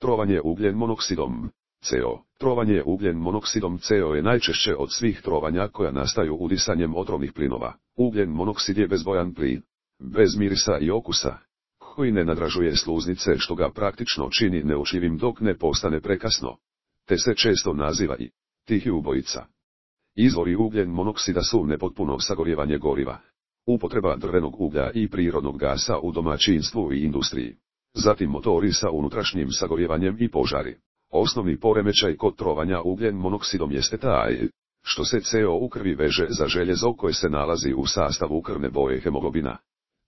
Trovanje ugljen monoksidom CO. Trovanje ugljen monoksidom CO je najčešće od svih trovanja koja nastaju udisanjem otrovnih plinova. Ugljen monoksid je bezbojan plin, bez mirisa i okusa, koji ne nadražuje sluznice što ga praktično čini neučljivim dok ne postane prekasno, te se često naziva i tihi ubojica. Izvori ugljen monoksida su nepotpuno sagorijevanje goriva, upotreba drvenog uglja i prirodnog gasa u domaćinstvu i industriji, zatim motori sa unutrašnjim sagorijevanjem i požari. Osnovni poremećaj kod trovanja ugljen monoksidom jeste taj što se CO u krvi veže za željezo koje se nalazi u sastavu krvne boje hemoglobina,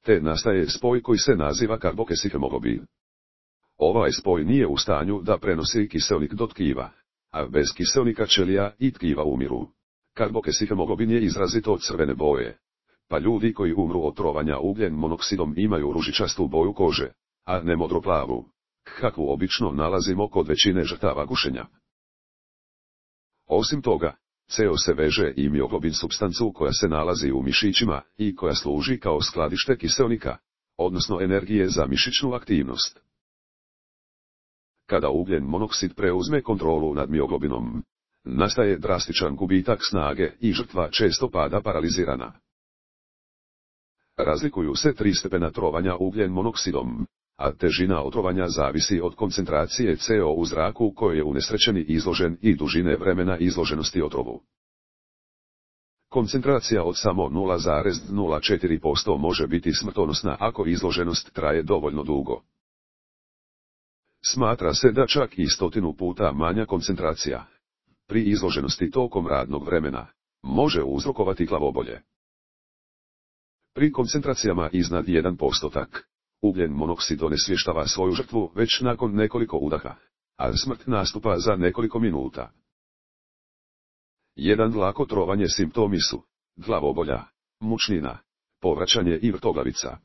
te nastaje spoj koji se naziva karbokesihemoglobin. Ovaj spoj nije u stanju da prenosi kiseonik do tkiva, a bez kiseonika ćelija i tkiva umiru. Karbokesihemoglobin je izrazito crvene boje, pa ljudi koji umru od trovanja ugljen monoksidom imaju ružičastu boju kože, a ne modroplavu, kakvu obično nalazimo kod većine žrtava gušenja. Osim toga, CO se veže i mioglobin supstancu koja se nalazi u mišićima i koja služi kao skladište kiseonika, odnosno energije za mišićnu aktivnost. Kada ugljen monoksid preuzme kontrolu nad mioglobinom, nastaje drastičan gubitak snage i žrtva često pada paralizirana. Razlikuju se 3 stepena trovanja ugljen monoksidom, a težina otrovanja zavisi od koncentracije CO u zraku kojoj je unesrećeni izložen i dužine vremena izloženosti otrovu. Koncentracija od samo 0,04% može biti smrtonosna ako izloženost traje dovoljno dugo. Smatra se da čak i 100 puta manja koncentracija, pri izloženosti tokom radnog vremena, može uzrokovati glavobolje. Pri koncentracijama iznad 1%, ugljen monoksid onesvještava svoju žrtvu već nakon nekoliko udaha, a smrt nastupa za nekoliko minuta. Jedan lako trovanje simptomi su glavobolja, mučnina, povraćanje i vrtoglavica.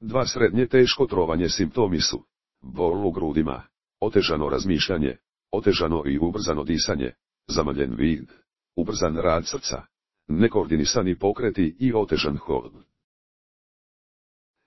2 srednje teško trovanje simptomi su bol u grudima, otežano razmišljanje, otežano i ubrzano disanje, zamrljen vid, ubrzan rad srca, nekoordinisani pokreti i otežan hod.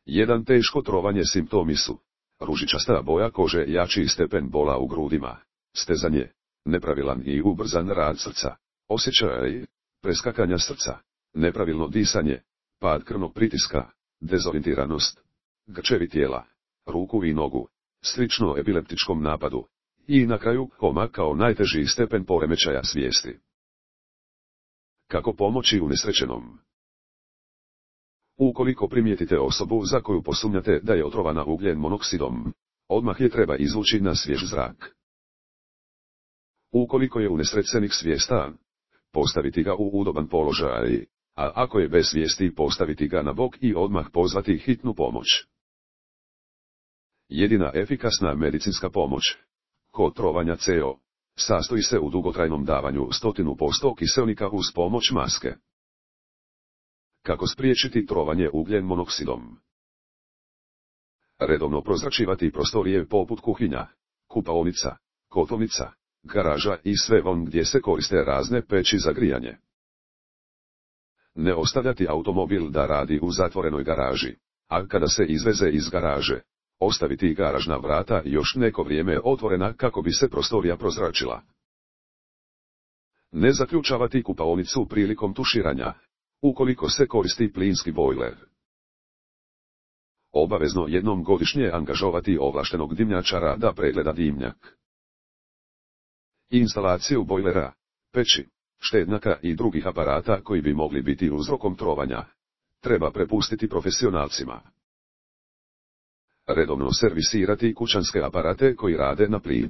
1 teško trovanje simptomi su ružičasta boja kože, jači stepen bola u grudima, stezanje, nepravilan i ubrzan rad srca, osjećaj preskakanja srca, nepravilno disanje, pad krvnog pritiska, dezorijentiranost, grčevi tijela, ruku i nogu, slično epileptičkom napadu, i na kraju koma kao najteži stepen poremećaja svijesti. Kako pomoći unesrećenom? Ukoliko primijetite osobu za koju posumnjate da je otrovana ugljen monoksidom, odmah je treba izvući na svjež zrak. Ukoliko je unesrećenik svjestan, postaviti ga u udoban položaj, a ako je bez svijesti postaviti ga na bok i odmah pozvati hitnu pomoć. Jedina efikasna medicinska pomoć kod trovanja CO sastoji se u dugotrajnom davanju 100% kiseonika uz pomoć maske. Kako spriječiti trovanje ugljen monoksidom? Redovno prozračivati prostorije poput kuhinja, kupaonica, kotlovnica, garaža i sve von gdje se koriste razne peći za grijanje. Ne ostavljati automobil da radi u zatvorenoj garaži, a kada se izveze iz garaže, ostaviti garažna vrata još neko vrijeme otvorena kako bi se prostorija prozračila. Ne zaključavati kupaonicu prilikom tuširanja, ukoliko se koristi plinski bojler. Obavezno jednom godišnje angažovati ovlaštenog dimnjačara da pregleda dimnjak. Instalaciju bojlera, peći, štednjaka i drugih aparata koji bi mogli biti uzrokom trovanja treba prepustiti profesionalcima. Redovno servisirati kućanske aparate koji rade na plin.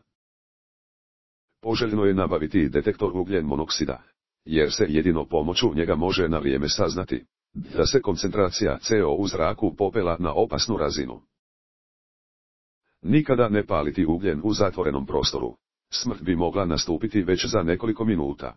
Poželjno je nabaviti detektor ugljen monoksida, jer se jedino pomoću njega može na vrijeme saznati da se koncentracija CO u zraku popela na opasnu razinu. Nikada ne paliti ugljen u zatvorenom prostoru. Smrt bi mogla nastupiti već za nekoliko minuta.